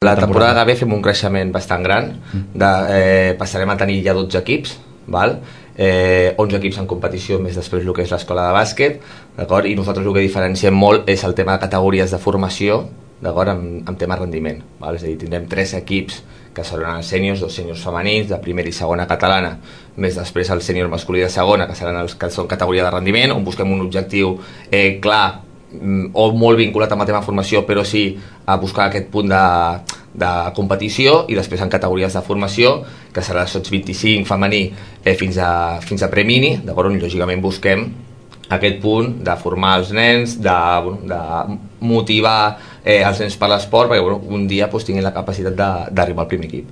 La temporada que ve fem un creixement bastant gran, passarem a tenir ja 12 equips, val? 11 equips en competició, més després el que és l'escola de bàsquet, d'acord? I nosaltres el que diferenciem molt és el tema de categories de formació, d'acord? Amb tema rendiment, val? És a dir, tindrem 3 equips que seran els sèniors, 2 sèniors femenins de primera i segona catalana, més després el sènior masculí de segona, que seran els que són categoria de rendiment, on busquem un objectiu clar o molt vinculat amb el tema de formació, però sí a buscar aquest punt de competició, i després en categories de formació, que serà sots 25 femení fins a premini, d'acord? On lògicament busquem aquest punt de formar els nens, de motivar els nens per l'esport, perquè un dia tinguin la capacitat d'arribar al primer equip.